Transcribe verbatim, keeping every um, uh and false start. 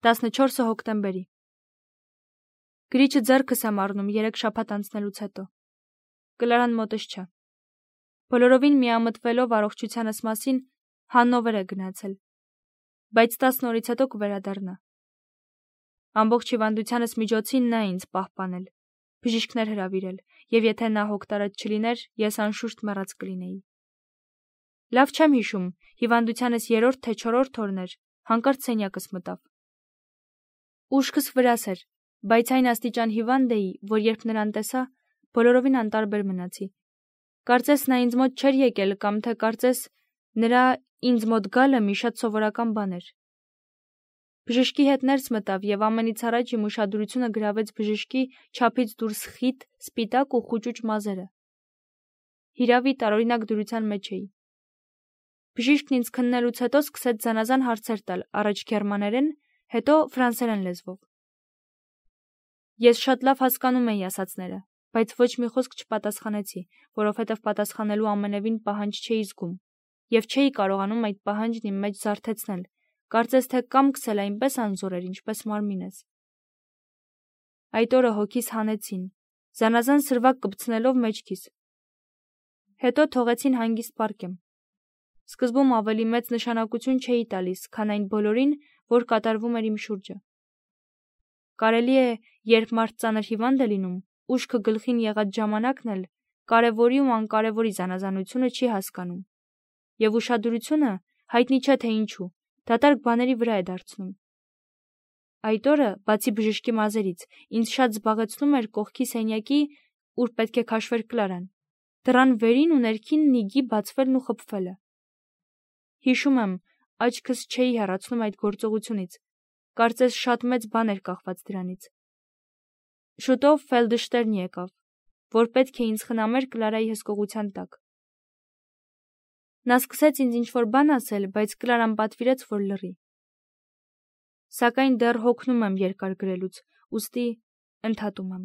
տասնչորսը հոկտեմբերի։ Գրիչը ձեռքս եմ առնում երեք շաբաթ անցնելուց հետո։ Կլարան մոտս չէ։ Բոլորովին միամտվելով առողջությանս մասին Հաննովեր է գնացել, բայց տասն օրից հետո կվերադառնա։ Ամբողջ հիվանդությանս միջոցին նա ինձ պահպանել, բժիշկներ հրավիրել, եւ եթե նա հոգտարած չլիներ, ես անշուշտ մեռած կլինեի։ Լավ չեմ հիշում, հիվանդությանս երրորդ թե չորրորդ օրն էր, հանկարծ սենյակս մտավ։ Ուշքս վրաս էր, բայց այն աստիճան հիվանդ էի, որ երբ նրան տեսա, բոլորովին անտարբեր մնացի։ Կարծես նա ինձ մոտ չէր եկել կամ թե կարծես նրա ինձ մոտ գալը մի շատ սովորական բան էր։ Բժշկի հետ ներս մտավ եւ ամենից առաջ իմ ուշադրությունը գրավեց բժշկի չափից դուրս խիտ, սպիտակ ու խուճուճ մազերը։ Հիրավի տարօրինակ դրության մեջ էի։ Բժիշկն ինձ քննելուց հետո սկսեց զանազան հարցեր տալ, առաջ գերմաներեն, հետո ֆրանսերեն լեզվով։ Ես շատ լավ հասկանում էի ասածները, բայց ոչ մի խոսք չպատասխանեցի, որովհետև պատասխանելու ամենևին պահանջ չէի զգում եւ չէի կարողանում այդ պահանջն իմ մեջ զարթեցնել, կարծես թե կամքս էլ այնպես անզոր էր, ինչպես մարմինս։ Այդ օրը հոգիս հանեցին, զանազան սրվակ կպցնելով մեջքիս։ Հետո թողեցին հանգիստ պառկեմ։ Սկզբում ավելի մեծ նշանակություն չէի տալիս, քան այն բոլորին, որ կատարվում էր իմ շուրջը։ Կարելի է, երբ մարդ ծանր հիվանդ է լինում, ուշքը գլխին եղած ժամանակն էլ կարևորի ու անկարևորի զանազանությունը չի հասկանում, եւ ուշադրությունը, հայտնի չէ թե ինչու, դատարկ բաների վրա է դարձնում։ Այդ օրը, բացի բժշկի մազերից, ինձ շատ զբաղեցնում էր կողքի սենյակի, ուր պետք է քաշվեր Կլարան, դռան վերին ու ներքին նիգի բացվելն ու խփվելը։ Հիշում եմ, աչքս չէի հեռացնում այդ գործողությունից, կարծես շատ մեծ բան էր կախված դրանից։ Շուտով Ֆելդշտերն եկավ, որ պետք է ինձ խնամեր Կլարայի հսկողության տակ։ Նա սկսեց ինձ ինչ-որ բան ասել, բայց Կլարան պատվիրեց, որ լռի։ Սակայն դեռ հոգնում եմ երկար գրելուց, ուստի ընդհատում եմ։